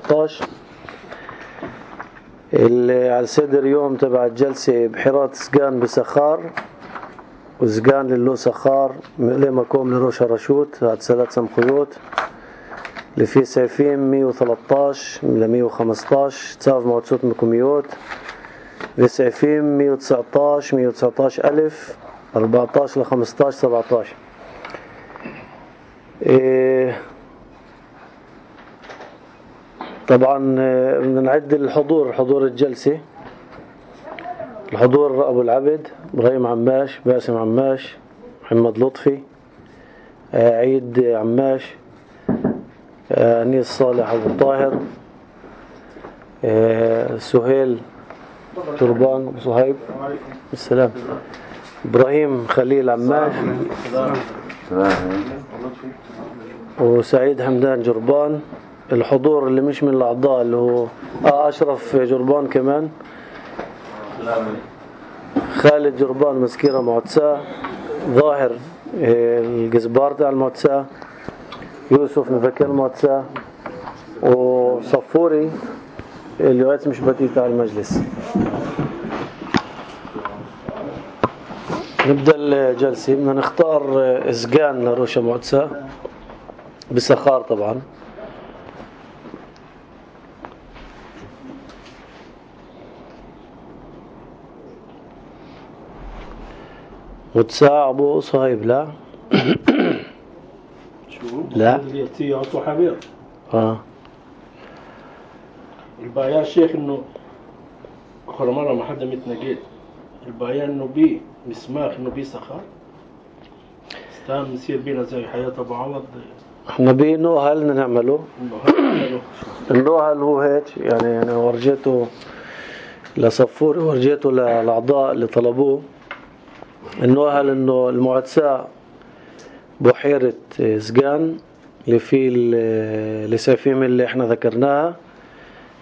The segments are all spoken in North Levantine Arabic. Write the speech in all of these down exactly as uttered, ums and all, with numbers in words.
ثلاثة عشر. اللي على صدر يوم تبع الجلسة بحيرات سجان بسخار وسجان للو سخار مقلمة كوم لروش رشوت هاد ثلاث سمخيوت اللي فيه سيفين مية وثلاثة عشر ل مية وخمسة عشر تصاف موتسوت مكوميوت بسيفين مية وتسعة عشر مية وتسعة عشر ألف أربعة عشر ل خمسة عشر سبعة عشر. إيه طبعا بدنا نعد الحضور حضور الجلسة. الحضور أبو العبد إبراهيم عماش باسم عماش محمد لطفي عيد عماش أنيس صالح أبو الطاهر سهيل تربان أبو صهيب السلام إبراهيم خليل عماش وسعيد حمدان جربان. الحضور اللي مش من الأعضاء اللي هو آه أشرف جربان كمان خالد جربان مسكيرة معتساه ظاهر الجزبار تاع المعتساه يوسف مفكر المعتساه وصفوري اليوات مش بتي تاع المجلس. نبدأ الجلسة. بدنا نختار اسجان لروشة معتساه بسخار طبعا. وتساع أبو صهيب لا شو لا اللي عطوا حبيب اه البايا شيخ انه اخر مرة ما حدا متنقل البايا انه بي مسماخ انه بي سخار استام نصير بينا زي حياة ابو عوض. احنا بي نوهل بدنا نعمله النوهل هو هيك يعني يعني ورجيته لصفوري ورجيته للأعضاء اللي طلبوه. النوهل انه المعتساه بحيرة سجان اللي فيه السيفيم اللي احنا ذكرناها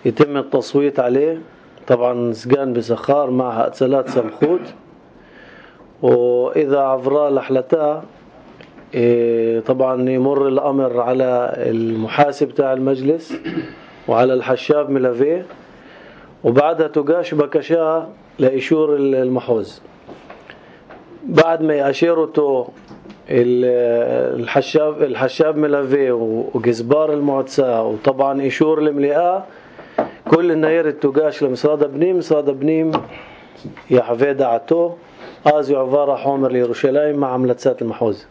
يتم التصويت عليه. طبعا سجان بسخار معها ثلاث سمخوت واذا عبرا لحلتها طبعا يمر الامر على المحاسب تاع المجلس وعلى الحشاب ملافيه وبعدها تقاش بكشاها لإشور المحوز. بعد ما يأشيرته الحشاب الحشاب ملافيه وجزبار المعتساه وطبعا إشور الملئة كل النير التقاش لمصراد بنيم مصراد بنيم يا حفيدة عتو آزي عفارة حومر ليروشلايم مع عملتسات المحوز.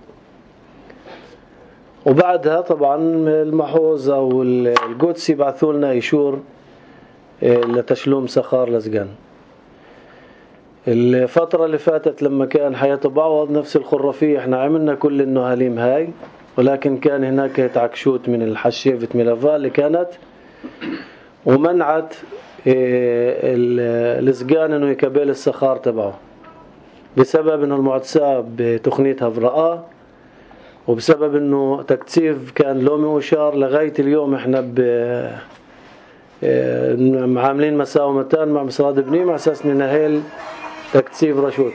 وبعدها طبعا المحوز أو القدس يبعثوا لنا إشور لتشلوم سخار لزقان. الفترة اللي فاتت لما كان حياة بعوض نفس الخرافية احنا عملنا كل النهاليم هاي ولكن كان هناك تعكشوت من الحشيفة ملافا اللي كانت ومنعت الزقان انه يكبل السخار تبعه بسبب انه المعتساه بتقنيتها برقاء وبسبب انه تكثيف كان لومي وشار. لغاية اليوم احنا ب عاملين مساومتان مع مصراد بنيم على اساس ننهيل تكثيف رشوت.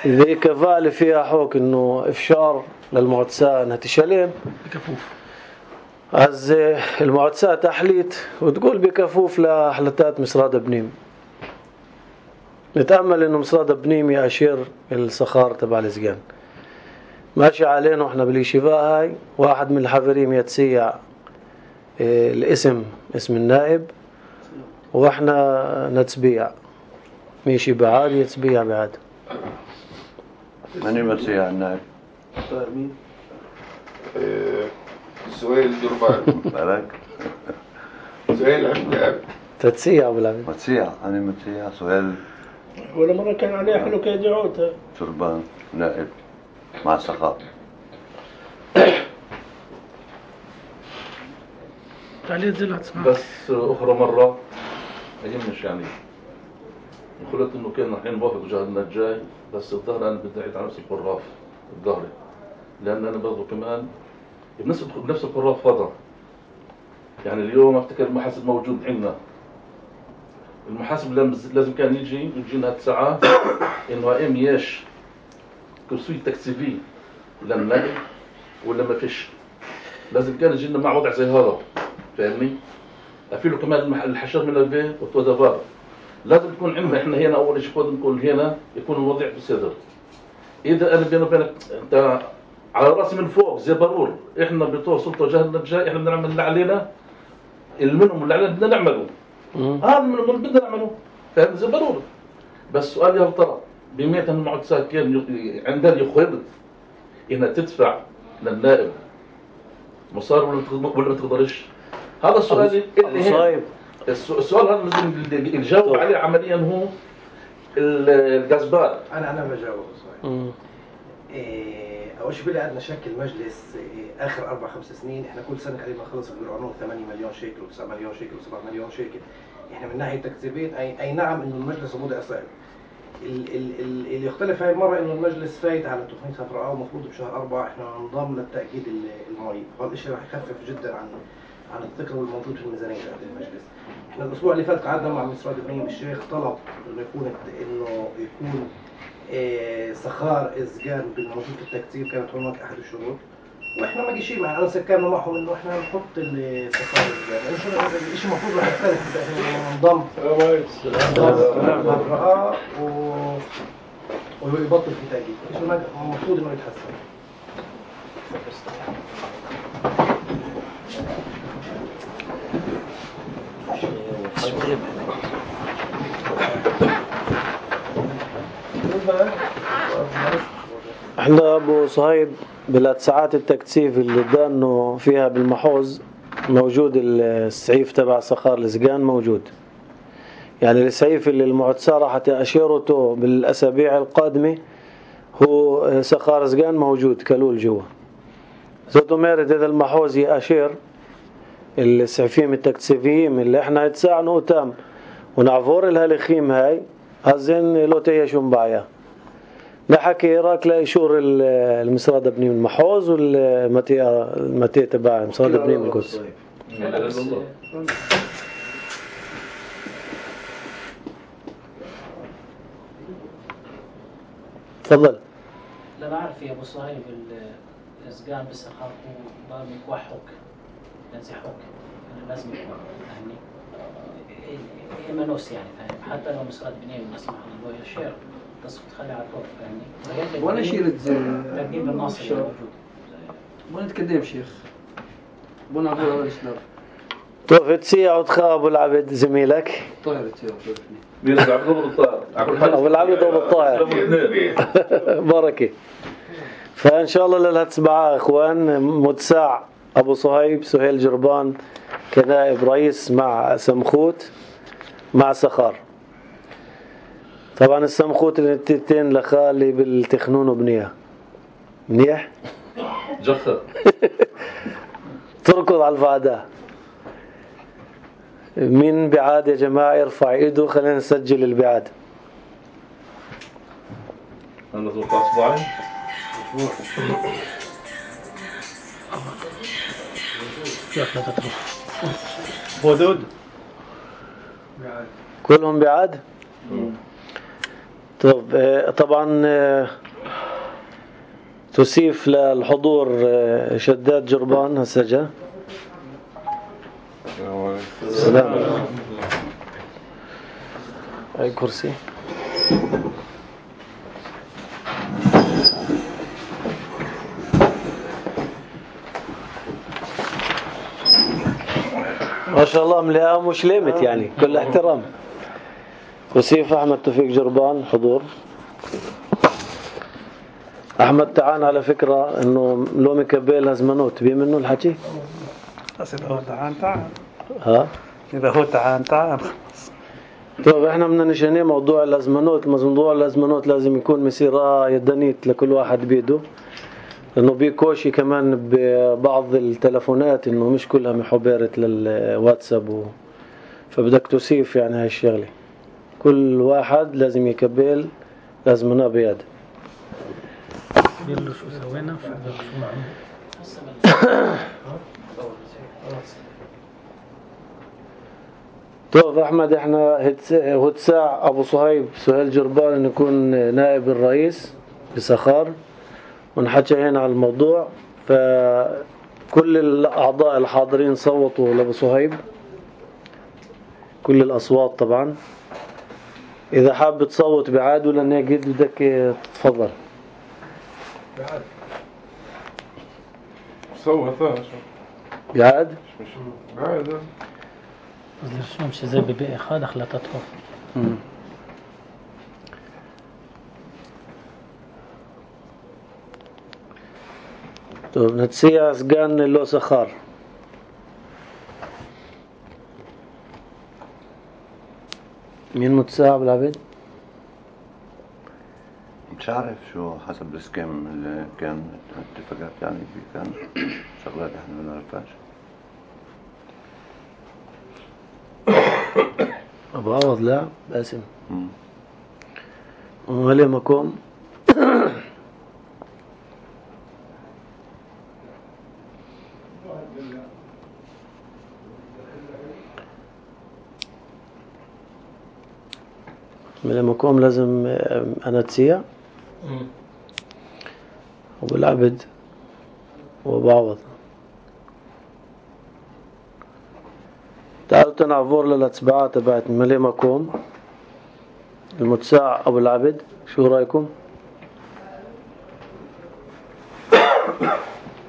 ذي كفالة فيها حوك انه افشار للمعتساه انها تشلم بكفوف عز المعتساه تحليت وتقول بكفوف لحلتات مصراد بنيم. نتأمل انه مصراد بنيم يأشير السخار تبع الزقان ماشي علينا. واحنا بالشفاء هاي واحد من الحفريم يتسيع اه الاسم اسم النائب واحنا نتسبيع ماشي بعاد يتسبيع بعد. ماني مسيح النائب مين سهيل جربان مالك سهيل عبد تتسيع بالعمل مسيح أنا مسيح سهيل ولا مرة كان عليه حلو كيدعوته جربان نائب مع سخاء عليه زلت اسمع بس أخرى مرة أيمش يعني قلت إنه كان الحين باخذ وجهنا الجاي بس الظهر أنا بدي أعيد على نفس القراف الظهري لأن أنا برضو كمان بنفس بنفس القراف فضا يعني اليوم أفتكر المحاسب موجود عندنا. المحاسب لازم كان يجي يجينا الساعة إنه إم يش كرسي تكسيفي لما ولا ما فيش لازم كان يجينا مع وضع زي هذا، فاهمني؟ في له كمان المح- الحشر من البيت والتدابار. لازم تكون عندنا احنا هنا اول شيء كنا نكون هنا يكون الوضع بصدر. اذا انا بيني وبينك انت على راسي من فوق زي بارور، احنا بتوع سلطه وجهلنا الجاي احنا بدنا نعمل اللي علينا، المنهم اللي علينا بدنا نعمله. هذا من اللي بدنا نعمله، فاهم؟ زي بارور. بس سؤال يا ترى بمئة المعتسات كان عندها يخرب انها تدفع للنائب مصاري ولا بتقدر- ولا ما تقدرش؟ هذا السؤال اللي هي الس- السؤال هذا لازم اللي يجاوب عليه عمليا هو ال- الجزبار. انا انا بجاوب صحيح. إيه اول شيء بلا عندنا شكل مجلس إيه اخر اربع خمس سنين، احنا كل سنه قريبا نخلص بالقانون ثمانية مليون شيكل و9 مليون شيكل و7 مليون شيكل. احنا من ناحيه تكتيبيه اي, أي نعم انه المجلس وضع صعب. ال- ال- ال- اللي يختلف هاي المره انه المجلس فايت على تقنيه هفرقه ومفروض بشهر أربعة احنا ننضم للتاكيد ال- المالي، فهذا الشيء راح يخفف جدا عن عن الثقل الموجود في الميزانيه تاعت المجلس. احنا الاسبوع اللي فات قعدنا مع مستشار ابراهيم الشيخ طلب انه يكون انه يكون إيه سخار اسجان بالموجود في التكتيب، كانت هناك احد الشروط واحنا ما جيش معنا انا سكرنا معهم انه احنا نحط السخار اسجان، لانه شو- الشيء المفروض راح يختلف اذا ننضم هفرقه و ويبطل في تأكيد، الشيء المفروض انه يتحسن. احنا ابو صهيب بالساعات التكثيف اللي دانه فيها بالمحوظ موجود السعيف تبع سخار السجان موجود، يعني السعيف اللي المعتسة راح تأشيرته بالاسابيع القادمه هو سخار سجان موجود كلول جوا. زوتو ميرد اذا المحوظ يأشير السعفيم التكثيفيين اللي احنا يتساعنوا تام ونعفور الهالخيم هاي هزين لو تيشون بعيا نحكي راك لا يشور المسراد ابني من المحوظ والمتيه المتيه تبع المسراد ابني من القدس. تفضل. لا بعرف يا ابو صهيب الاسقان بسخار ضل يكوحوك ينزحوك، يعني لازم يكون يعني إيمانوس يعني فاهم، حتى لو مسراد بنين لا سمح الله يشير تصف تخلي على طول فاهمني. وانا شيرة ترتيب الناصر موجود. وانا نتكلم شيخ بنا عبور هذا الشنار توفت سيا وتخاب العبد زميلك طاهر تيار مين ابو عبد الله الطاهر؟ ابو العبد ابو الطاهر بركه. فان شاء الله للهتسبعة اخوان متساع ابو صهيب سهيل جربان كنائب رئيس مع سمخوت مع سخار. طبعا السمخوت التين لخالي بالتخنون وبنيه منيح جخر تركض على الفعداء. مين بعاد يا جماعة يرفع ايده خلينا نسجل البعاد. انا زوق اصبعي حدود كلهم بعاد. طب آه، طبعا آه، تسيف للحضور آه، شداد جربان هسه جا. سلام. اي كرسي. ما شاء الله مليئة مش ليمت يعني كل احترام. وسيف أحمد توفيق جربان حضور. أحمد تعان على فكرة إنه لو مكبل هزمنوت بيه منه الحكي. بس إذا هو تعان تعان. ها؟ إذا هو تعان تعان. طيب إحنا بدنا نشأني موضوع الهزمنوت، موضوع الهزمنوت لازم يكون مسيرة يدنيت لكل واحد بيده. لأنه بيكوشي كمان ببعض التلفونات إنه مش كلها محبرة للواتساب و... فبدك تسيف يعني هاي الشغلة. كل واحد لازم يكبل لازمنا بيد. يلا شو سوينا شو طيب أحمد إحنا هتساع أبو صهيب سهيل جربان إنه يكون نائب الرئيس بسخار ونحكي هنا على الموضوع. ف كل الأعضاء الحاضرين صوتوا لأبو صهيب، كل الأصوات طبعا. إذا حاب تصوت بعاد ولا ناقد بدك تفضل. بعد صوتها شو بعاد مش بعد شو مش زي ببيع خالق لا تطهر. طيب نتسيع سجان اللو سخار. مين متساعب العبيد؟ مش عارف شو حسب السكيم اللي كان اتفاقات يعني في كان شغلات احنا ما نعرفهاش. أبو عوض لا باسم ومالي مكوم. مالي مكوم لازم أنا تسيع أبو العبد وأبو عوض. تعالوا تنعفور للاتباعات تبعت مالي مكوم المتساع أبو العبد. شو رأيكم؟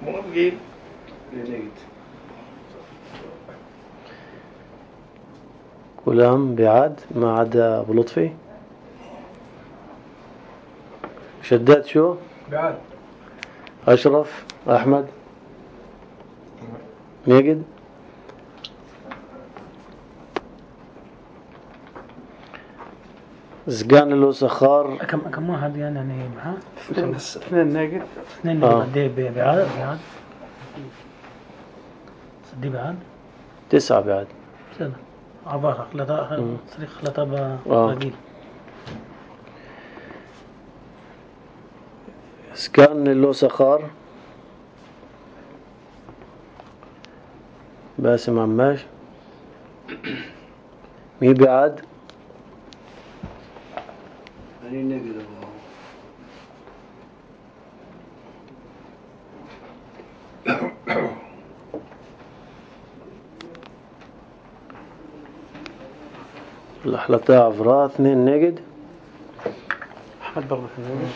موافقين. كلهم بعاد ما عدا أبو لطفي. شداد شو؟ بعد أشرف أحمد ميجد. زقان اللو سخار كم كم واحد يعني يعني معاه؟ اثنين ناقد. اثنين آه. قد ايه بعاد بعاد صدي بعاد تسعة بعد. سنة عبارة خلطة صريخ خلطة آه. برقيل. زقان اللو سخار باسم عماش. مي بعاد أنا نقدر الأحلطاء عفراء اثنين ناقد. أحمد برضه في النادي.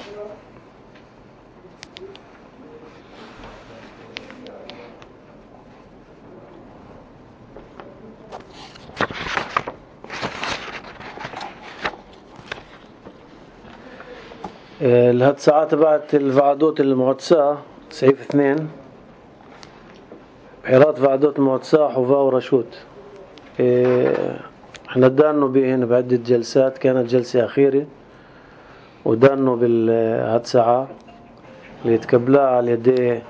لهاد ساعات تبعت الفعدوت المعتساة سعيف اثنين بحيرات فعدوت المعتساة حوفا ورشوت. إيه احنا دانوا بهن بعدة جلسات، كانت جلسة أخيرة ودانوا بالهاد ساعة اللي يتكبلها على يدي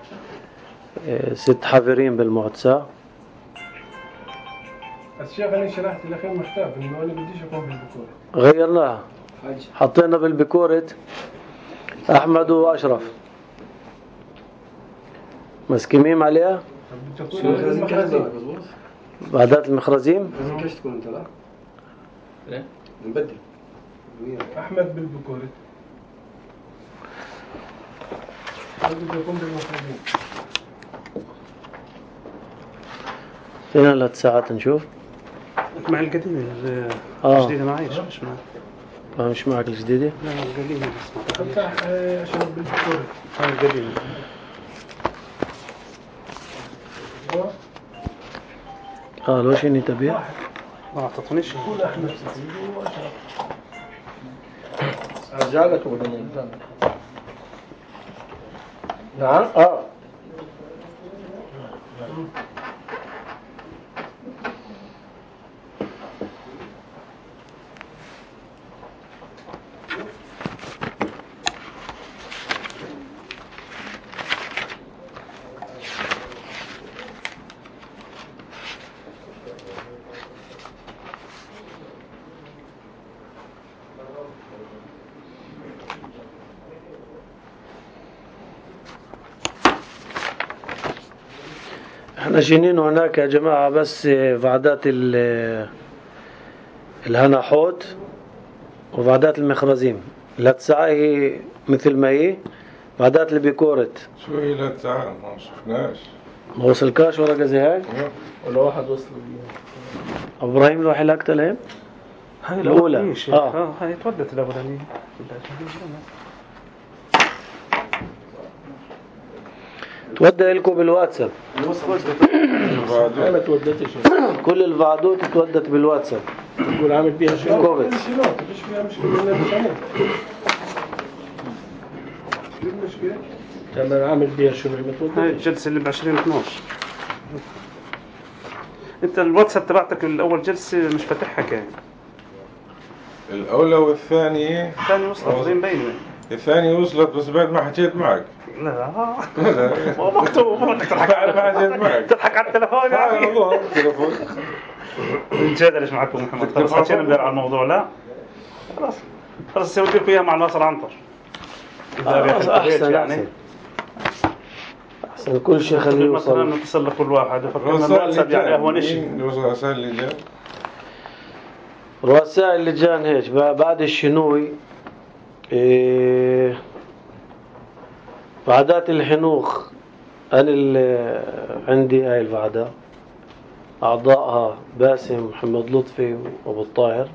إيه ست حافرين بالمعتساة. الشيخ أنا شرحت الأخير مختار إنه أنا بديش أكون بالبكورة. غيرناها حطينا بالبكورة أحمد وأشرف مسكمين عليها بعدات المخرزيم. لازم كاش تكون أنت لا؟ إيه؟ نبدل. أحمد بالبكورة. بدي أكون بالمخرجين. فينا لهاد ساعات نشوف. مع القديمة آه. الجديدة معيش مش معي. ما مش معك الجديدة؟ لا القديمة بس ما تعرفش. أفتح أشرب بالبكورة. هاي القديمة. اه لو شيني تبيع ما أعطتنيش. كل أحمد وأشرب. أرجعلك ولا من نعم اه احنا جينين هناك يا جماعة بس فعدات الهنا حوت وفعدات المخرزيم. لا تسعة هي مثل ما هي، فعدات البيكورت شو هي لا تعال ما شفناش. ما وصلكاش ورقة زي هاي؟ ولا واحد وصل بيها. ابراهيم الوحي لك لهم؟ هاي الأولى. اه اه اه هاي تودت الاولانيه. تودى لكم بالواتساب. أنا تودتش. كل الفعدوت تودت بالواتساب. تقول عامل بيها شنو؟ كوفيد. مش فيها مشكلة. مش عامل. شو المشكلة؟ تمام عامل بيها شنو؟ ما تودتش. هاي الجلسه اللي ب عشرين اثناشر. انت الواتساب تبعتك الاول جلسه مش فاتحها كان. الأولى والثانية الثاني وصلت زي مبينه. الثانية وصلت بس بعد ما حكيت معك. لا مو مكتوب. بدك تضحك على ما حكيت معك. تضحك على التليفون لا يعني. والله التليفون. نجادلش معك أبو محمد. خلص حكينا امبارح على الموضوع. لا خلاص خلاص سويت لكم اياها مع ناصر عنتر. آه احسن يعني. احسن كل شيء خليه يوصل. مثلا نتصل لكل واحد فكرنا رؤساء الواتساب يعني اهون اللجان. شيء. مين رؤساء اللجان؟ رؤساء اللجان هيك بعد الشنوي إيه وعدات الحنوخ. أنا اللي عندي هاي الوعدة أعضائها باسم محمد لطفي وأبو الطاهر،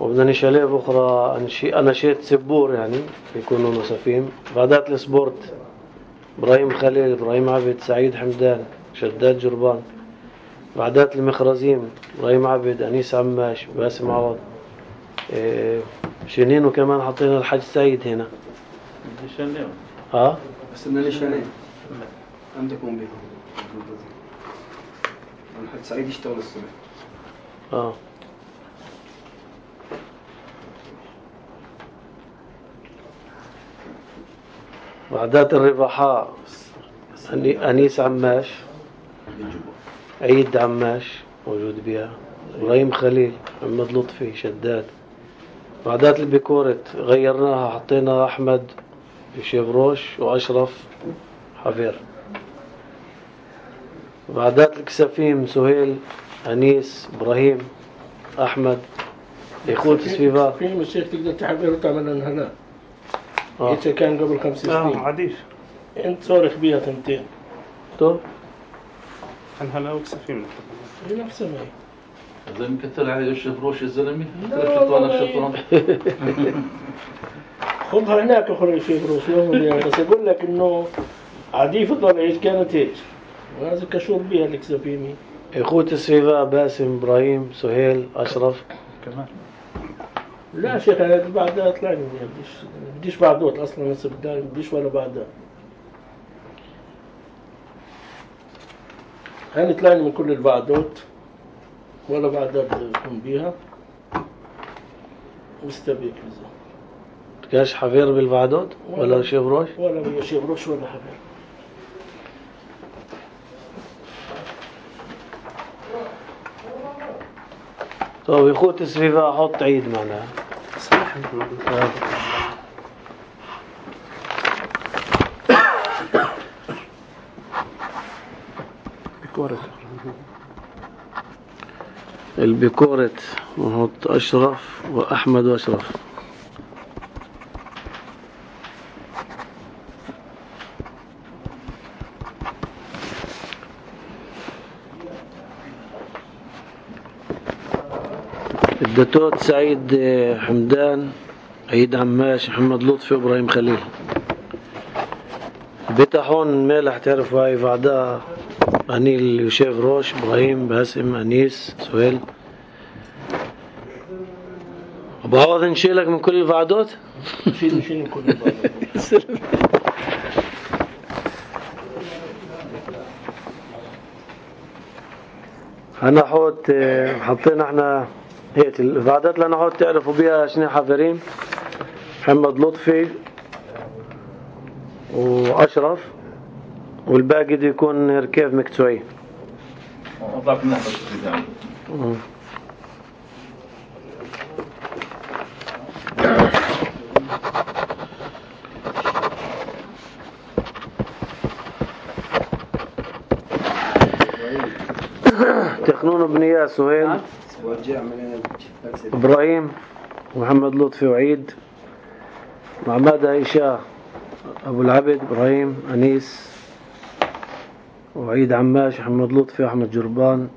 وبدنا نشاليه بأخرى أنشي أنا شيت سبور يعني يكونوا مسافين. بعدات السبورت إبراهيم خليل، إبراهيم عبد، سعيد حمدان، شداد جربان. بعدات المخرزيم إبراهيم عبد، أنيس عماش، باسم عوض. إيه شنين وكمان حطينا الحاج سعيد هنا. ها بس بدنا ليشانين عندكم بيهم. الحاج سعيد يشتغل الصبح. اه بعدات الرباحاء أني- أنيس عماش، عيد عماش موجود بها، إبراهيم خليل، محمد لطفي، شداد. بعدات البيكورة غيرناها حطينا أحمد شيبروش وأشرف حفير. بعدات الكسافيم سهيل، أنيس، إبراهيم، أحمد، إخوة سفيفا. في مشيخ تقدر تحضر وتعمل لنا هنا. آه. إيش كان قبل خمس اه سنين. عديش. أنت صارخ بيها تنتين. طب عن هلا وكسفين. هي نفسها ما هي. زي مكتل على الشفروش الزلمي. لا ثلاث شطوان والله. الشطوان. خذها هناك اخرى شيء بروس يوم يعني. بس اقول لك انه عادي فضل ايش كانت هيك وهذا كشور بيها الاكسفيمي. إخوة سفيفا باسم، إبراهيم، سهيل، أشرف. كمان لا شيخ انا بعدها طلعني ما بديش بديش بعدوت اصلا نصب الدار بديش ولا بعدها. انا طلعني من كل البعدوت ولا بعدها بكون بيها مستبيك لزا. كاش حفير بالفعدود ولا شيبروش؟ ولا بيا شيبروش ولا حبيب. طب إخوة سفيفا حط عيد معنا. صح. آه. بكورة. البكورة نحط أشرف وأحمد وأشرف. الدتوت سعيد حمدان، عيد عماش، محمد لطفي، وإبراهيم خليل. بتاحون مالح تعرفوا هاي بعدها أنيل يوشيف روش، إبراهيم باسم أنيس سهيل. أبو عوض نشيلك من كل الفعدوت؟ شيل شيل من كل البعدوت. أنا حوت حطينا احنا هيك الفعدات اللي أنا حوت تعرفوا بيها شنو حافرين. محمد لطفي وأشرف، والباقي دي يكون ركاب مكتوعي. أطلع في النحو الشديد. تخنون بنية سهيل، إبراهيم، محمد لطفي، وعيد، محمد عيشة، أبو العبد، إبراهيم، أنيس، وعيد عماش، محمد لطفي وأحمد جربان.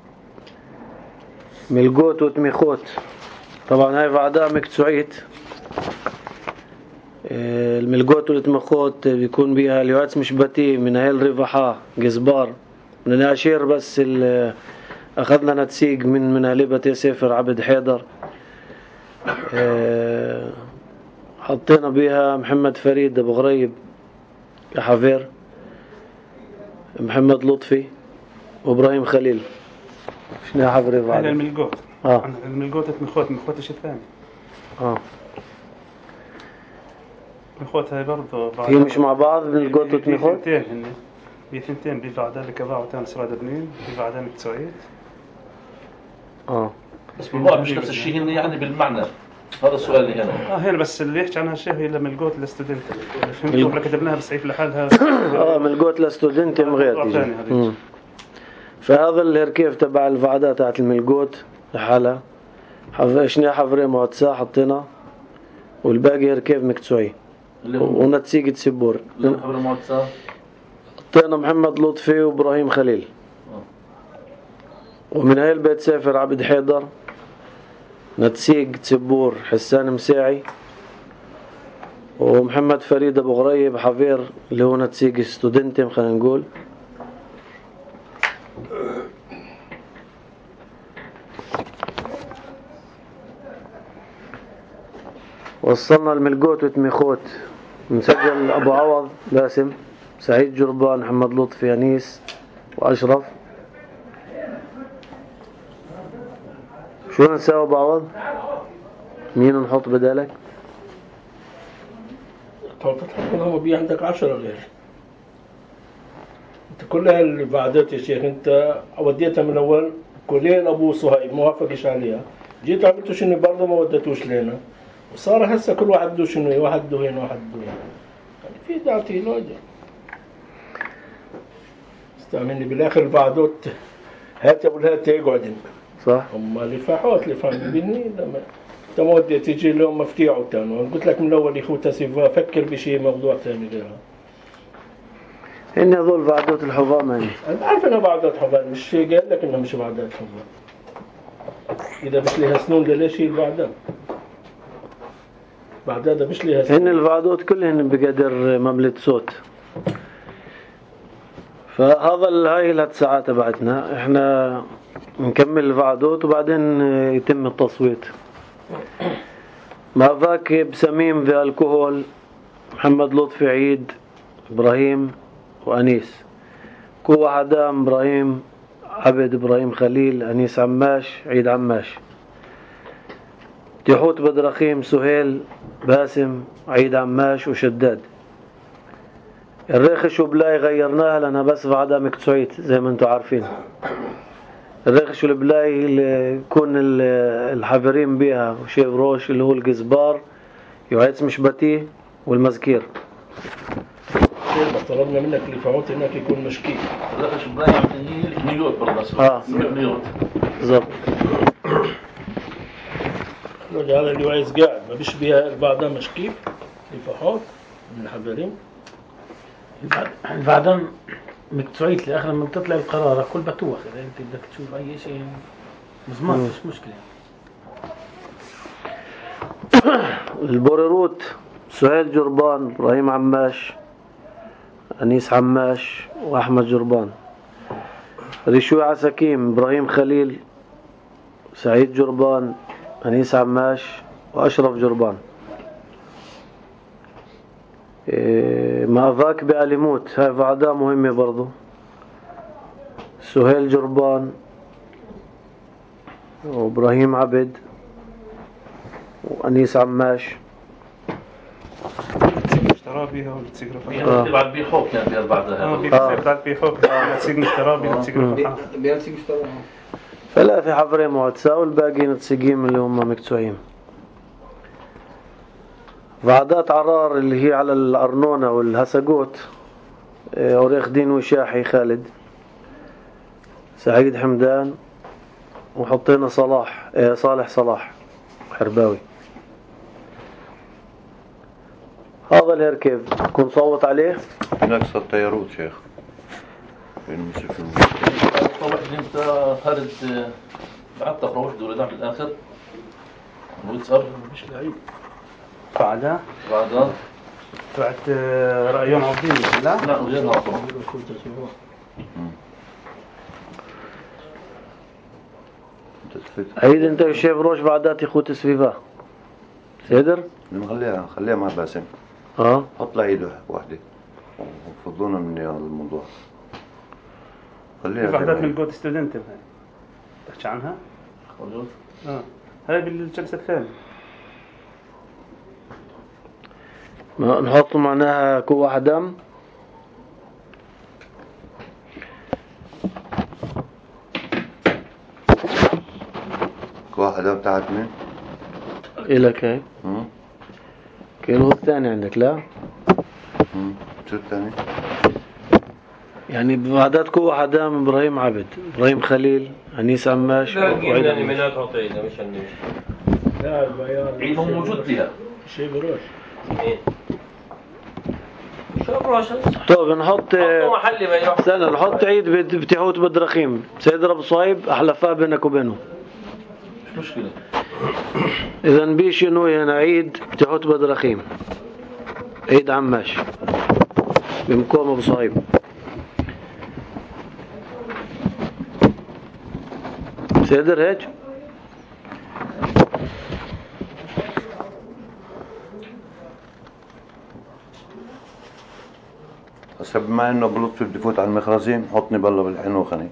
ملقوت وتميخوت طبعا هاي بعدها مكتسوعيت. الملقوت والتميخوت بيكون بيها اليواتس مشبتي من هاي الرفحة جزبار من العشير، بس أخذنا نتسيق من من أهل بيت سافر عبد حيدر. حطينا بيها محمد فريد أبو غريب كحفير، محمد لطفي وإبراهيم خليل. شنو حفري بعد؟ هذا الملقوت. اه الملقوت مخوت مخوت شيء ثاني. اه مخوت هاي برضه هي مش مع بعض ملقوت وتمخوت؟ بثنتين هن بثنتين بيفعل ذلك باع وتاني سراد بنين بيفعل ذلك تسعيد. اه بس بالواقع مش نفس الشيء هن يعني بالمعنى. هذا السؤال اللي هنا. اه هنا بس اللي يحكي عنها الشيخ هي لما ملقوت للستودنت. فهمتوا كتبناها بالسيف لحالها. اه ملقوت للستودنت مغير. فهذا الهركيف تبع الفعدات تاعت الملقوت لحالها. حف... شنو حفري معتسا حطينا، والباقي هركيف مكتسوعي ونتسيق تسبور. حفري معتسا حطينا محمد لطفي وإبراهيم خليل. ومن هاي البيت سافر عبد حيدر، نتسيق تسبور حسان مساعي، ومحمد فريد أبو غريب حفير اللي هو نتسيق ستودنتم خلينا نقول. وصلنا الملقوت وتميخوت، نسجل أبو عوض باسم، سعيد جربان، محمد لطفي، أنيس وأشرف. شو نساوي أبو عوض؟ مين نحط بدالك؟ طب تتحكم هم بي عندك عشرة غير انت كل هالبعدات يا شيخ. انت وديتها من اول كلين ابو صهيب ما وافقش عليها، جيت عملتوا شنو برضه ما ودتوش لنا، وصار هسه كل واحد بده شنو، واحد بده هنا واحد بده هنا. يعني في دعتي لوجه استعملني بالاخر البعدوت هات ابو الهات يقعدن صح. هم لفاحات لفاهم بيني لما انت ما ودي تيجي اليوم مفتيع وتانو. قلت لك من الاول يا اخوتا سيفا فكر بشيء موضوع ثاني غيرها. إن هذول بعدوت الحظام يعني. أنا بعرف إنها بعدات حظام، مش قال لك إنها مش بعدات حظام. إذا مش لها سنون ليش هي البعدات؟ بعدات مش لها سنون. إن البعدوت كلهن بقدر مملة صوت. فهذا هاي الهات ساعات تبعتنا إحنا نكمل البعدوت وبعدين يتم التصويت. ما ذاك بسميم في الكحول، محمد لطفي، عيد، إبراهيم وأنيس. كو عدام إبراهيم عبد، إبراهيم خليل، أنيس عماش، عيد عماش. تيحوت بدرخيم، سهيل، باسم، عيد عماش وشداد. الريخش وبلاي غيرناها لأنها بس بعدها مكتسوعيت زي ما انتم عارفين. الريخش والبلاي اللي يكون الحافرين بيها وشيف روش اللي هو الجزبار يعيد مشبتي والمزكير. طلبنا منك اللي فعوت هناك يكون مشكيك. الريخش وبلاي عم نيوت برضه. اه نيوت بالضبط. هذا اللي عايز قاعد ما بيش بيها بعدها مشكيك لفحوت من الحافرين. بعدين مكتسوعيت لآخر لما تطلع القرار كل بتوخ. إذا أنت بدك تشوف أي شيء مزمان مش مشكلة. البوريروت سهيل جربان، إبراهيم عماش، أنيس عماش وأحمد جربان. ريشوي عساكيم، إبراهيم خليل، سعيد جربان، أنيس عماش وأشرف جربان. إيه ما ذاك بأليموت هاي بعدها مهمة برضو. سهيل جربان وإبراهيم عبد وأنيس عماش. اشترى بيها ونتسيق رفحان. اه بعد بيحوك يعني بيها بعدها. اه بيحوك بعد بيحوك نتسيق نشترى بيها نتسيق رفحان. بيرسيق اشترى. فلا في حفرين معتسا والباقي نتسيقين اللي هم مكتسوعين. بعدات عرار اللي هي على الأرنونة والهسقوت، أوريخ دين وشاحي خالد، سعيد حمدان، وحطينا صلاح اه صالح صلاح حرباوي. هذا الهركب كن صوت عليه. نقص الطيارات شيخ. بين مصرف المصرف الطوح اللي انت هرد بعد تقرأ وحده ولا بالآخر ويتصرف مش لعيب بعدها بعدها بعد رأيون عظيم لا لا غير هذا عيد انت والشيف روش بعدات يخوت سفيفا سيدر خليها خليها مع باسم. اه حط له ايده واحدة وفضونا من هذا الموضوع. خليها بعدات من جود ستودنت تحكي عنها خلص اه هاي بالجلسة الثانية نحط معناها كوع دم كوع دم بتاعت مين؟ إلك هاي امم كيلو الثاني عندك لا امم شو الثاني؟ يعني بعدات كوع دم إبراهيم عبد إبراهيم خليل أنيس عماش وعيد منات عطينا مش النيش لا البيان عيد موجود فيها شيء بروش شو بروش طيب نحط حطوا محلي بيروح استنى نحط عيد بتيحوت بدرخيم سيدر أبو صايب أحلفاء بينك وبينه مش مشكلة. إذا بيش إنه هنا عيد بتيحوت بدرخيم عيد عماش بمقام أبو صايب سيدر هيك هسه بما انه بلطفي بدي فوت على المخرزين حطني بالله بالحنوخ انا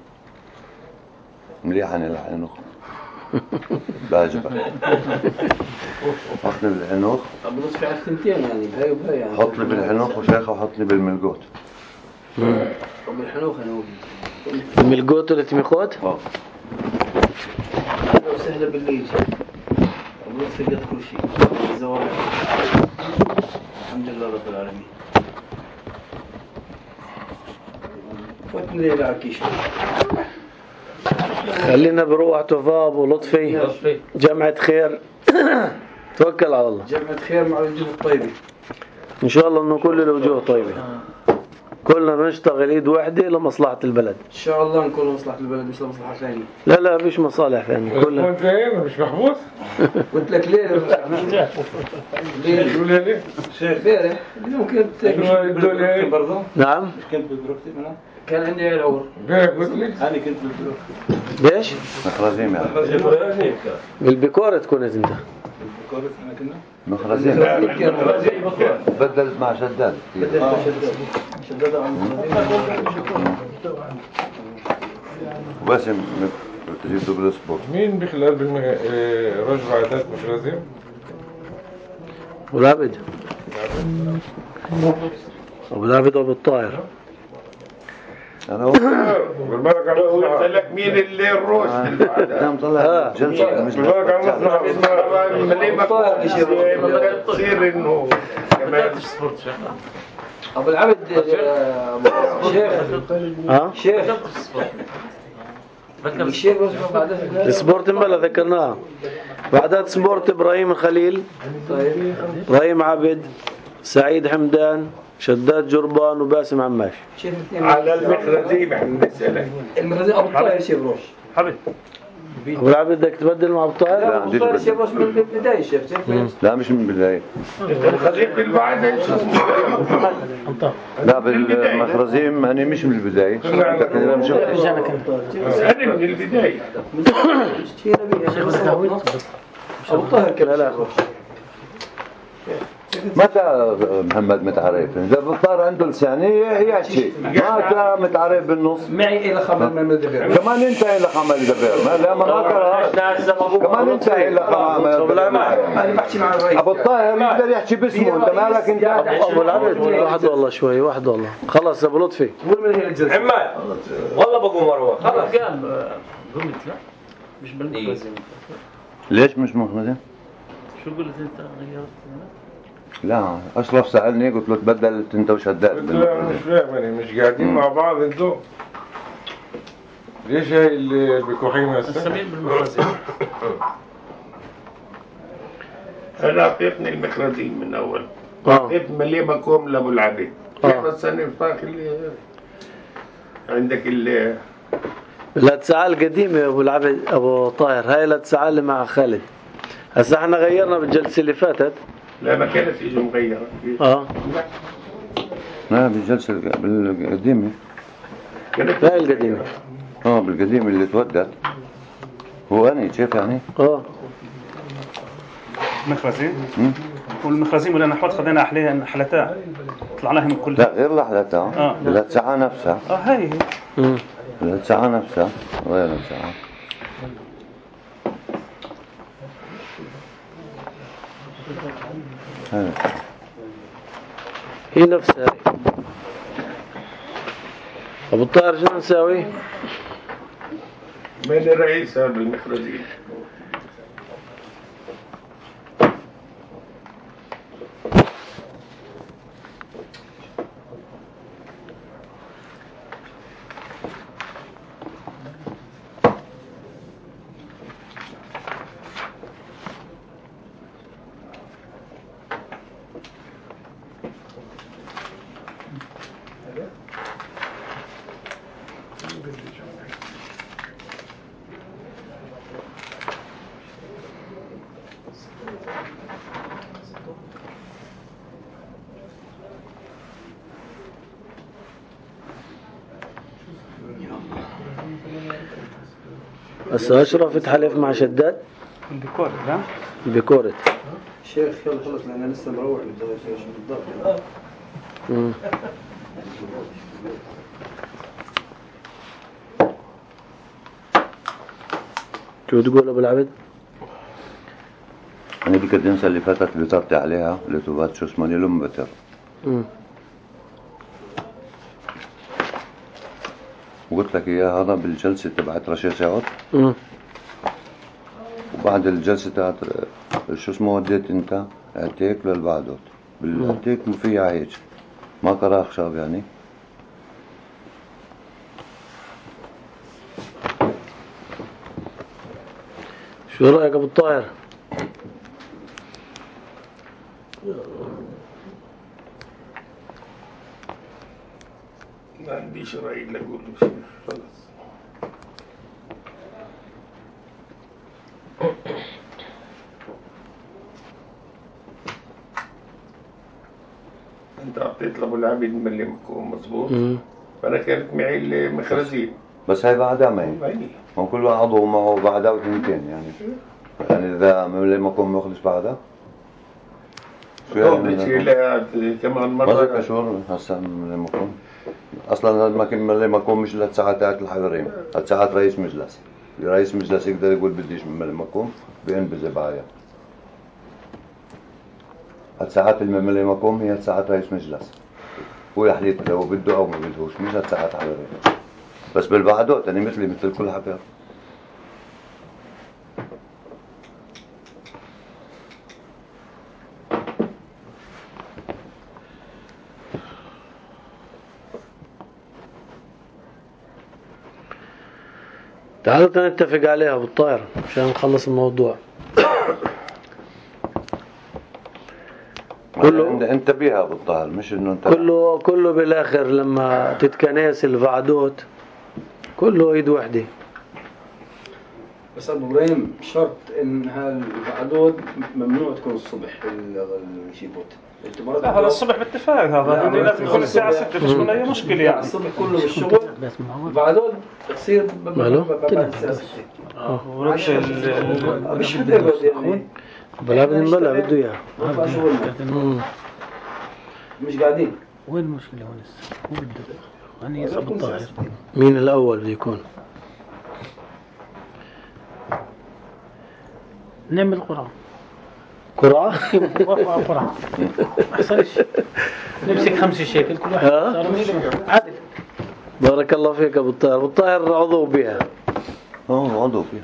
مليح انا الحنوخ بعجبك حطني بالحنوخ بلطفي على الثنتين يعني بهاي وبهاي يعني حطني بالحنوخ وشيخه وحطني بالملقوت وبالحنوخ انا الملقوت اللي تميخوت اه لو سهله بالليل بلطفي قد كل شيء زوال الحمد لله رب العالمين فوتني ليلة عكيش خلينا بروح توفاب ولطفي جمعة خير توكل على الله جمعة خير مع الوجوه الطيبة إن شاء الله إنه كل الوجوه طيبة كلنا نشتغل إيد واحدة لمصلحة البلد إن شاء الله نكون مصلحة البلد مش لمصلحة ثانية لا لا فيش مصالح ثانية كلنا كنت فين مش محبوس؟ قلت لك ليه ليه شو ليه؟ شيخ بارح ممكن تاكل برضه نعم مش كنت بالبروكتي منها كان عندي العور امبارح قلت لي أنا كنت بالبروكتي ليش؟ مخرزين يعني بالبكورة تكون انت بالبكورة احنا كنا مخرزين بدلت مع شداد شداد وباسم جبته بالسبورت مين بخلال بالرجل عادات مخرزين؟ أبو العبد أبو العبد أبو الطاهر انا هو بالبركة على قلت لك مين اللي الروش كان طلع جلسة مش بالبركة على مصنع ملي ما تصير انه كمان أبو العبد شيخ ها؟ شيخ الشيخ السبورت مبلا ذكرناها بعدات سبورت إبراهيم الخليل طيب إبراهيم عبد سعيد حمدان شداد جربان وباسم عماش على المخرزين احنا نسألك المخرزين أبو الطاهر شيخ روش حبيبي أبو العبد بدك تبدل مع أبو الطاهر؟ لا أبو عنديش الطاهر شيخ بدل روش من البداية شيخ لا مش من البداية المخرزين بالبعد لا بالمخرزين أنا مش من البداية لكن أنا مش أنا من البداية أبو الطاهر لا لا متى محمد متعرف إذا بطار عنده لسانية يحكي متى متعرف بالنص معي إلى خمر ما مدبر كمان انت إلى خمر دبير لا ما كمان انت إلى خمر أنا بحكي مع الرئيس أبو الطاهر يقدر يحكي باسمه انت مالك انت أبو العبد واحد والله شوي واحد والله خلص أبو لطفي عمال والله بقوم مروه خلاص قلت لا مش بالمخرزين ليش مش مخرزين؟ شو قلت انت غيرت لا أشرف سألني قلت له تبدلت انت وشداد قلت له مش فاهم يعني مش قاعدين مع بعض انتوا ليش هاي اللي بكوحين هسه؟ السمير بالمخرزين أنا أعطيتني المخرزين من أول أعطيت ملي بقوم لأبو العبيد كيف السنة الفاخر اللي عندك ال الاتساعة القديمة يا ابو العبد ابو طاهر، هاي الاتساعة اللي مع خالد. هسا احنا غيرنا بالجلسة اللي فاتت. لا ما كانت اجوا مغيرة. اه لا بالجلسة بالقديمة. هاي القديمة. اه بالقديمة اللي تودت. هو أنا شايف يعني؟ اه مخرزين والمخرزين ولا نحوت خذينا أحليها حلتها طلعناها من كلها. لا غير لحلتها. اه الاتساعة نفسها. اه هاي هي الاتساعة نفسها غير الاتساعة. هاي هي نفسها. ابو الطاهر شو نساوي؟ من الرئيس هذا المخرجين؟ هسا اشرف تحلف مع شداد بكورت. لا بكورت شيخ يلا خلص لأن لسه مروح بدي شو بالضبط. امم شو تقول ابو العبد؟ أنا ديك الدنسة اللي فاتت اللي طرت عليها اللي تبات شو اسمه لهم بتر. امم وقلت لك إياها هذا بالجلسة تبعت رشيد سعود. امم وبعد الجلسة تاعت شو اسمه وديت أنت عتيك للبعدوت بالعتيك مفيها هيك ما قرأ خشاب يعني. شو رأيك ابو الطاهر؟ ما عنديش رأي إلا أقول له شيء خلص. أنت أعطيت لأبو العبد ملمكم مظبوط. فأنا كانت معي المخرجين. بس هاي بعدها معي. هو كل عضو معه بعدها وثنتين يعني. يعني إذا ملمكم مخلص بعدها. شو يعني كمان مرة. ما زي كشور هسا ملمكم. أصلاً الملمكم مش للساعات تاعت الحضرين. الساعات رئيس مجلس. رئيس مجلس يقدر يقول بديش من ملمكم بينبذ بعايا. الساعات الملمكم هي ساعات رئيس مجلس. هو يحلف لو بده أو ما بدهوش مش الساعات حضرين. بس بالبعدوت أنا مثلي مثل كل حبيب. تعالوا نتفق عليها ابو الطاهر عشان نخلص الموضوع. كله انت بيها ابو الطاهر مش انه انت كله كله بالاخر لما تتكنس الفعدوت كله ايد وحده. بس ابو ابراهيم شرط ان هالفعدوت ممنوع تكون الصبح الشيبوت. لا هذا الصبح باتفاق هذا لازم يكون الساعة ستة مش من أي مشكلة يعني. الصبح كله بالشغل بعدين تصير بعد الساعة ستة. اه وربش ال مش بالدرجة يعني. بلا بنبلا بده اياه. مش قاعدين. وين المشكلة هون هسه؟ هو بده أنا يصب الطاهر. مين الأول بده يكون؟ نعمل قرعة. قرعة؟ قرعة. ما يحصلش. نمسك خمسة شيكل كل واحد صار عدل. بارك الله فيك أبو الطاهر. أبو الطاهر عضو بها. اه عضو فيها.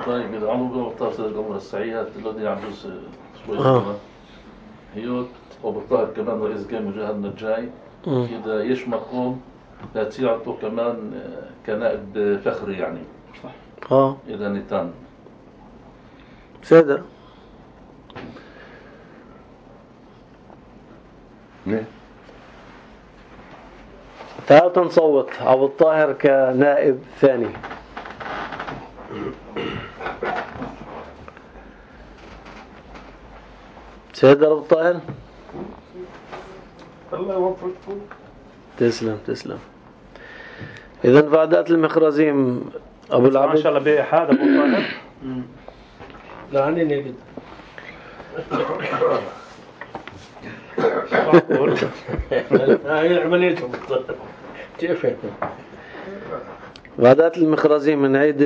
طيب إذا عضو بها بطار سيد الأمور السعيات الذي عجوز شوي آه. هيوت أبو الطاهر كمان رئيس جامع جهادنا الجاي. إذا يش مقوم لا تعطوا كمان كنائب فخري يعني. اه إذا نتان. سيدة. ليه؟ تعالوا نصوت أبو الطاهر كنائب ثاني. سيد أبو الطاهر الله يوفقكم. تسلم تسلم. إذا فعدات المخرزيم أبو العبد ما شاء الله بأحد أبو الطاهر. لا عني نجد. هاي عملية كيف هيك؟ فعدات المخرزيم من عيد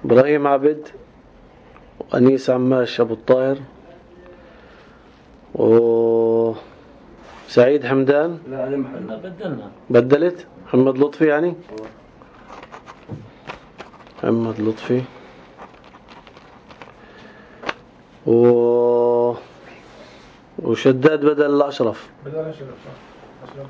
إبراهيم عبد وأنيس عماش أبو الطاهر وسعيد حمدان. لا أنا محلنا بدلنا. بدلت محمد لطفي يعني محمد لطفي و وشداد بدل الأشرف. بدل أشرف صح. أشرف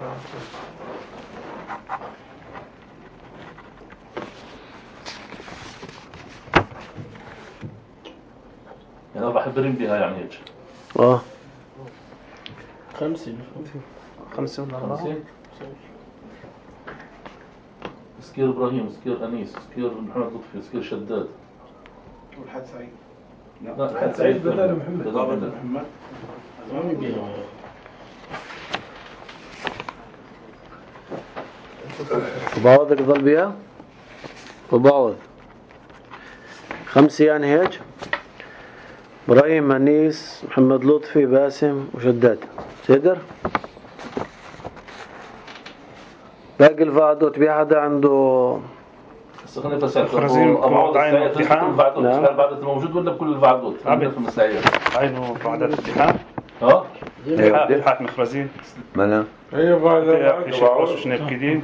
يعني أربع حبرين بها يعني هيك. آه خمسة خمسة ولا أربعة. خمسة. سكير إبراهيم، سكير أنيس، سكير محمد لطفي، سكير شداد. والحد سعيد. لا الحد سعيد بدل محمد. بدل محمد. وبعوضك ضل بيها وبعوض خمسة يعني هيك. إبراهيم أنيس محمد لطفي باسم وشداد. تقدر باقي الفعدوت بي حدا عنده بس خلينا نفسر خرزين أبو عين السعيد الامتحان. الفعدوت نعم. الفعدوت موجود ولا بكل الفعدوت؟ عبد. في المساعير. عينه بعدات الامتحان. اه امتحان مخرزين. ملا هي بعد في شبراش وشنيب كدين.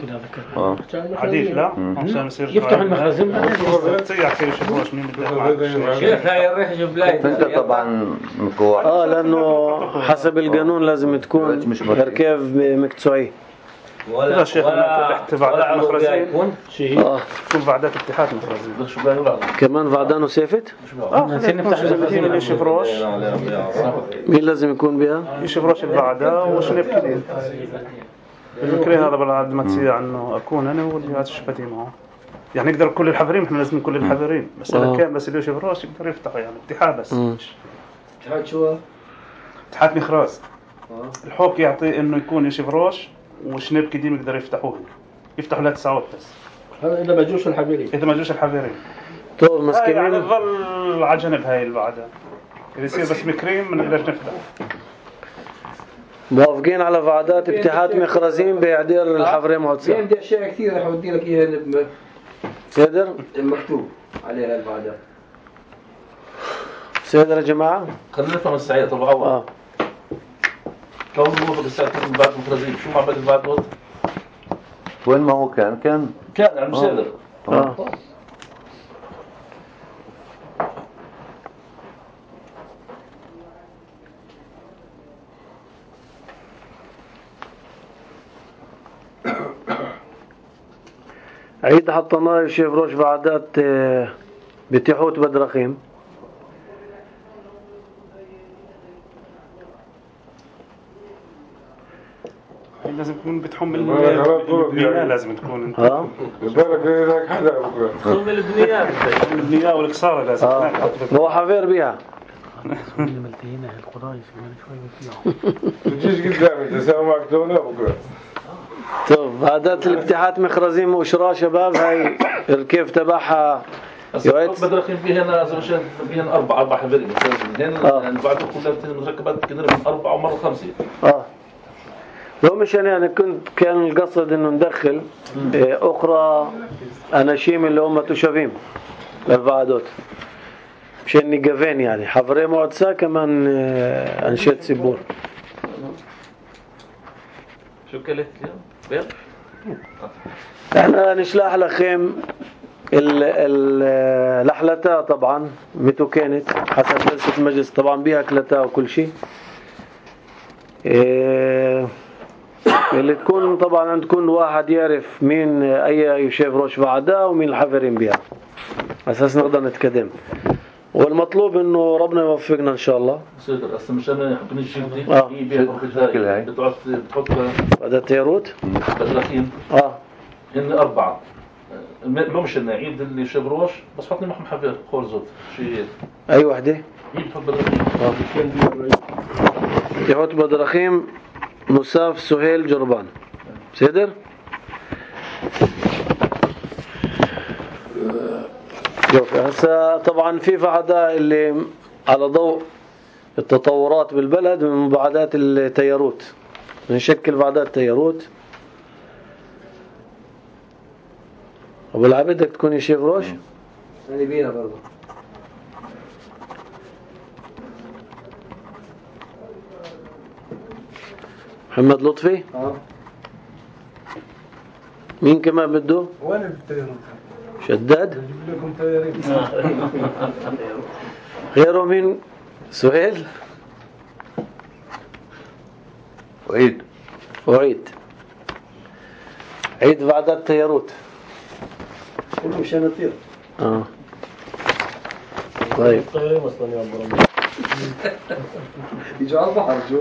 اه عديل لا عشان يصير يفتح المخازن تسيح كيف شبراش مين بدها. شيخ هاي الريح جبلاي. انت طبعا مكوع. اه لانه حسب القانون لازم تكون مش مكتوب. تركيب مكتوعي. ولا لا شيخ تحت بعدات المخرزين شيء. اه تكون بعدات اتحاد مخرزين. شو بقى يلعب؟ كمان فعدانه سيفت. اه نفتح المخرزين اللي شبراش. مين لازم يكون بها؟ يشبراش البعدة وشنيب كدين. المكري هذا بالعاد ما تصير عنه أكون أنا واللي هذا شبتي معه. يعني نقدر كل الحفرين إحنا لازم كل الحفرين بس إذا كان بس اللي يشبراش يقدر يفتحوا يعني اتحاد بس. اتحاد شو؟ اتحاد مخراز. الحوك يعطي إنه يكون يشبراش وشنيب كدين يقدر يفتحوه. يفتحوا لا تسعود بس. هذا إذا ما جوش الحبيري. إذا ما جوش الحفرين. طول مسكين. يعني تظل على جنب هاي البعدة. إذا يصير بس مكرين ما نقدرش نفتح. موافقين على فعدات اتحاد مخرزين بيعدير الحفرين معتصم. عندي أشياء كثيرة رح أودي لك إياها سيدر مكتوب عليها البعدة. سيدر يا جماعة. خلينا نفهم السعيد طبعا أول. اه كون موافق السعيد من بعد المخرزين شو عمل الفعدوت؟ وين ما هو كان كان كان عم سيدر. اه عيد حطيناه يشيف روش بعدات بتيحوت بدرخيم. لازم تكون بتحمل البنية لازم تكون ها بالك هناك حدا بكره. خذ البنيات. البنية والكسارة لازم. اه هو حفير بيها. تجيش قدامي تساوي معك تونا بكره. طب عادات الابتحات مخرزين وشراء شباب هاي الكيف تبعها يويت بدرخين فيها أنا زوجين فيها أربعة أربعة حبرين مثلاً هن بعده كلها مركبات كده من أربعة ومرة خمسة. اه لو مش أنا أنا كنت كان القصد إنه ندخل إيه أخرى أناشيم اللي هم تشافيم للفعدوت مشان نقفين يعني حفرين معدسة كمان إيه أنشيت سبور. شو كلت اليوم؟ احنا نشلح لخيم اللحلتها طبعا متو كانت حسب جلسة المجلس طبعا بيها كلتها وكل شيء. إيه اللي تكون طبعا عند كل واحد يعرف مين اي يشيف روش بعدها ومين الحفرين بيها اساس نقدر نتقدم. والمطلوب انه ربنا يوفقنا ان شاء الله. سيدر هسه مشان حقن الجلدي اه هي بيها بالبداية بتقعد بتحط هذا تيروت بدرخين اه هن أربعة لو مش عيد اللي شبروش بس حطني معهم حفير خورزوت شيء اي وحدة هي بتحط بدرخين يحط بدرخيم مصاف سهيل جربان سيدر. شوف هسه طبعا في فعداء اللي على ضوء التطورات بالبلد من مبعدات التياروت نشكل بعدات تياروت. ابو العبد بدك تكون شيخ روش يعني بينا برضه محمد لطفي اه مين كمان بده وانا بالتيارات شداد بجيب لكم تيارين غيره مين سهيل وعيد وعيد عيد بعدات تياروت كله مشان نطير. اه طيب طيرين اصلا يا ابو يجوا على البحر شو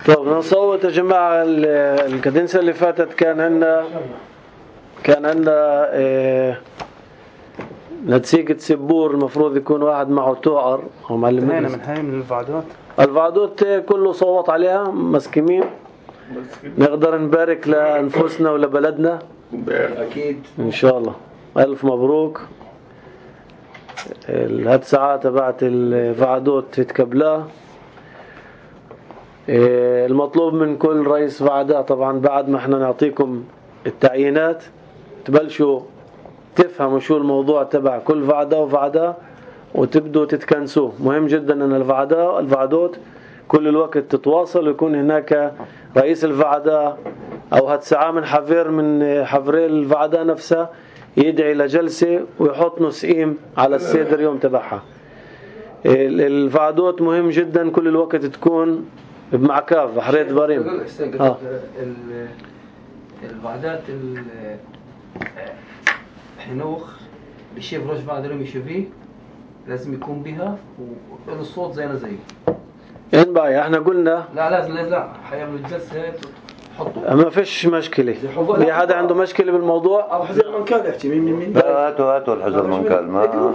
طب نصوت يا جماعة. الكدنسة اللي فاتت كان عندنا كان عندنا اه نتيجة سبور المفروض يكون واحد معه توعر أو معلم هنا من هاي من الفعدات الفعدوت كله صوت عليها مسكمين. نقدر نبارك لأنفسنا ولبلدنا اكيد إن شاء الله. ألف مبروك. الهات ساعات تبعت الفعدوت تتكبلاه. المطلوب من كل رئيس فعداء طبعا بعد ما احنا نعطيكم التعيينات تبلشوا تفهموا شو الموضوع تبع كل فعداء وفعداء وتبدوا تتكنسوه. مهم جدا ان الفعداء الفعدوت كل الوقت تتواصل ويكون هناك رئيس الفعداء او هتسعى من حفير من حفري الفعداء نفسها يدعي لجلسة ويحط نسئيم على السيدر يوم تبعها. الفعدوت مهم جدا كل الوقت تكون بمعكاف بحرية بريم. اه الوعدات الحنوخ بيشوف روش بعد لهم يشوفيه لازم يكون بها وله الصوت زينا زيه. إن بقى احنا قلنا لا لازم لازم لا حيعملوا الجلسة حطوا ما فيش مشكلة. في حدا عنده مشكلة بالموضوع؟ أو حزير منكال يحكي مين مين مين لا هاتوا هاتوا الحزر منكال ما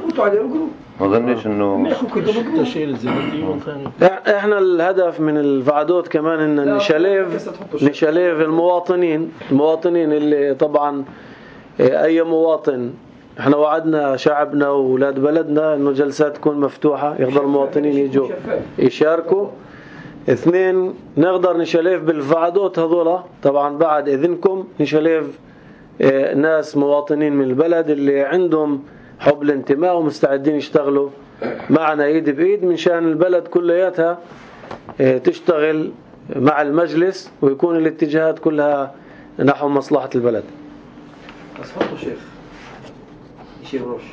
ما ظنيش انه احنا الهدف من الفعدوت كمان ان نشاليف نشاليف المواطنين المواطنين اللي طبعا اي مواطن احنا وعدنا شعبنا واولاد بلدنا انه جلسات تكون مفتوحة يقدر المواطنين يجوا يشاركوا. اثنين نقدر نشاليف بالفعدوت هذولا طبعا بعد اذنكم نشاليف ناس مواطنين من البلد اللي عندهم حب الانتماء ومستعدين يشتغلوا معنا ايد بايد من شان البلد كلياتها تشتغل مع المجلس ويكون الاتجاهات كلها نحو مصلحة البلد. بس حطوا شيخ يشيف روش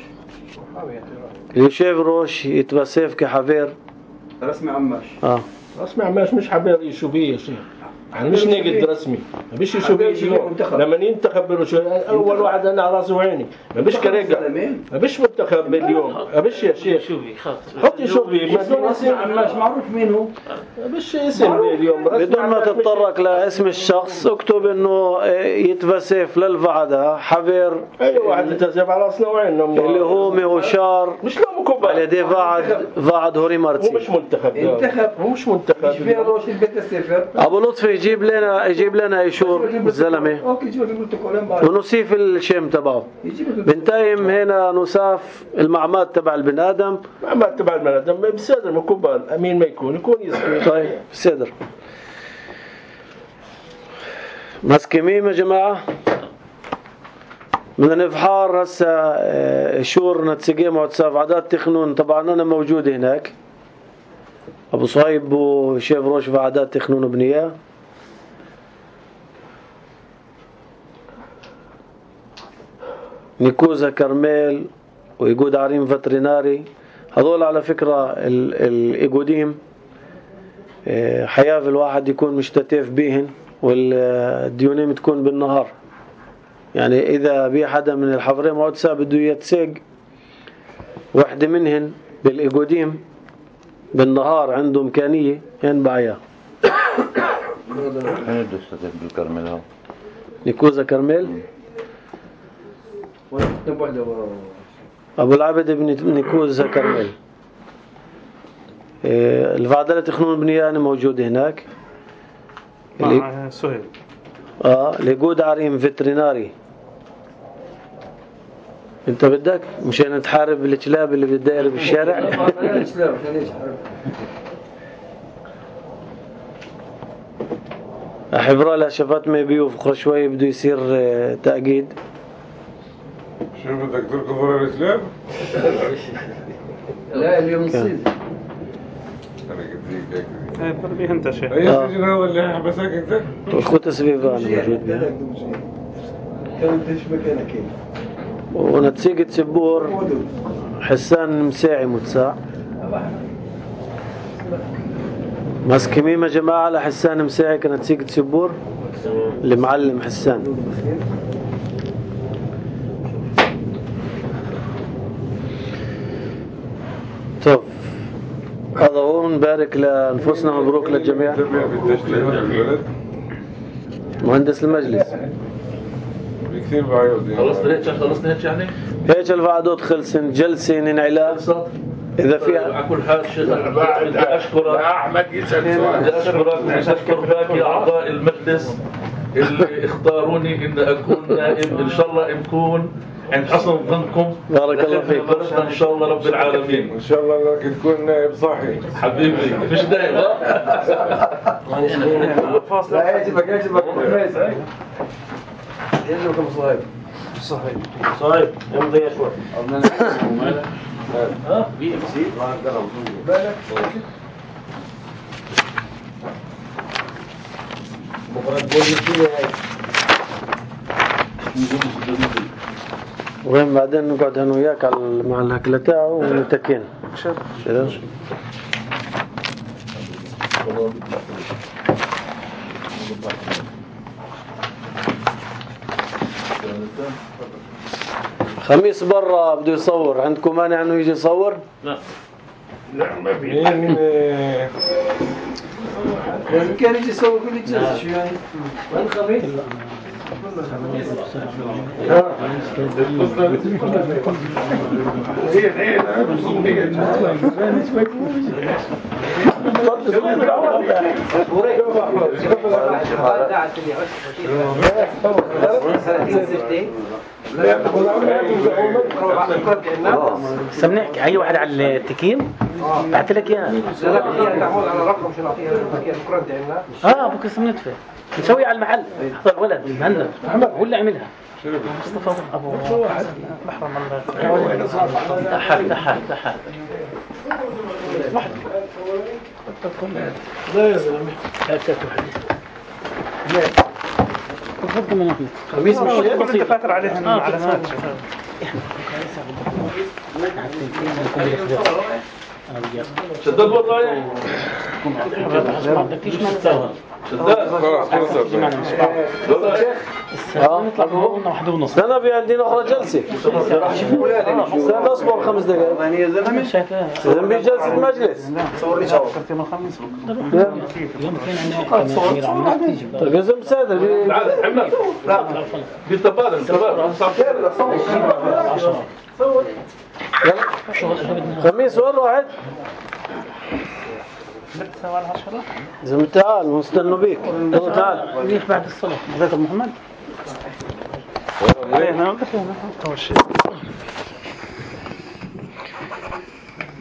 يشيف روش يتبسيف كحفير رسمي عماش اه رسمي عماش مش حبير يشوفيه يا شيخ يعني مش ناقد رسمي ما بيش يشوفيه اليوم لما ينتخب بروش اول واحد انا على راسي وعيني ما بيش كريقه ما بيش منتخب اليوم ما بيش يا شيخ حط يشوفي رسمي عماش معروف مين هو ما بيش اسم اليوم بدون ما تتطرق لاسم الشخص اكتب انه يتبسيف للفعداء حفير اي واحد يتبسيف على راسنا وعيننا اللي هو مهوشار مش لا مكبر على يدي فعد فعد هوري مرتي هو مش منتخب انتخب هو مش منتخب مش فيها روش البيت السفر ابو لطفي يجيب لنا يجيب لنا يشور الزلمه اوكي جيب البروتوكول ونصيف الشيم تبعه. بنتايم هنا نصاف المعماد تبع البني ادم معماد تبع البني ادم بصدر مكبر امين ما يكون يكون يسكت. طيب بصدر مسكي ميم يا جماعه بدنا نفحار هسه شور نتسقي مع عادات تخنون. طبعا انا موجود هناك ابو صهيب وشيف روش بعدات تخنون بنيه. نيكوزا كرميل ويقود عريم فتريناري هذول على فكرة الإيقوديم حياة الواحد يكون مشتتف بيهن والديونيم تكون بالنهار. يعني إذا بي حدا من الحفرين معود سا بده يتساق واحدة منهن بالإيجوديم بالنهار عنده إمكانية ينبع إياه. أنا دستك بالكرمل هون. نيكوزا كرمل. أبو العبد بن نيكوزا كرمل. إيه الفعدلة تخنون بنيان موجود هناك. مع سهيل. آه ليجود عريم فيتريناري. انت بدك مشان تحارب الكلاب اللي بتداير بالشارع. حبرا لها شفات ما بيوف اخرى شوي بده يصير تأكيد. شو بدك تركض ورا الكلاب؟ لا اليوم نصيد. انا قلت لك ايه بربيه انت شيء. اي السجن هذا اللي حبسك انت؟ والخوت سبيبان موجود بها. كنت ايش مكانك هنا؟ ونتيجة سبور حسان مساعي متساع. مسكمين يا جماعة لحسان مساعي كانت تيجة سبور اللي معلم حسان. طب هذا هو نبارك لأنفسنا مبروك للجميع. مهندس المجلس كثير بعيود خلصنا هيك خلصنا هيك يعني هيك الوعدات خلصن جلسة ننعلا إذا فيها على كل حال شيخ بدي أشكرك أحمد يسأل بدي أشكرك وأشكر باقي أعضاء المجلس اللي اختاروني إن أكون نائب. إن شاء الله نكون عند حسن ظنكم. بارك الله فيك إن شاء الله رب العالمين. إن شاء الله انك تكون نائب صحي حبيبي مش دايما لا يجبك يجبك يجبك ابو صهيب. صحيح صحيح يمضي شوي ها بي ام سي بالك بكره تقول لي هاي وين بعدين نقعد انا وياك على مع الاكل تاعه ونتكين كذا. خميس برا بده يصور، عندكم مانع انه يجي يصور؟ لا لا ما في يعني لازم كان يجي يسوي كل الجلسه شو يعني؟ وين خميس؟ سمنك اي واحد على التكييم بعت لك اياه. لا لا هي تعمل على رقم شنو اعطيها البكيه عندنا. اه بكره سمنتفه نسوي على المحل. هذا الولد مهند هو اللي عملها. مصطفى ابو محرم الله ضحك ضحك ضحك واحد لا يا زلمه هكاك واحد تفضل من هنا. خميس مش كنت فاكر عليهم علامات. شدد والله بدكيش ما تساوي شدد خلاص خلصت نطلع من واحد ونص. انا في عندنا اخرى جلسه. استنى اصبر خمس دقائق. يعني يا زلمه شايفاه اذا في جلسه مجلس. صور لي صور فكرت يوم الخميس يوم اثنين عندنا تيجي قسم سادة تعال محمد لا في تبادل تبادل خميس وين واحد؟ زلمة تعال مستنوا بيك. يلا تعال. ليش بعد الصلاة ذاك محمد ايه انا قلت له اول شيء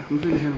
الحمد لله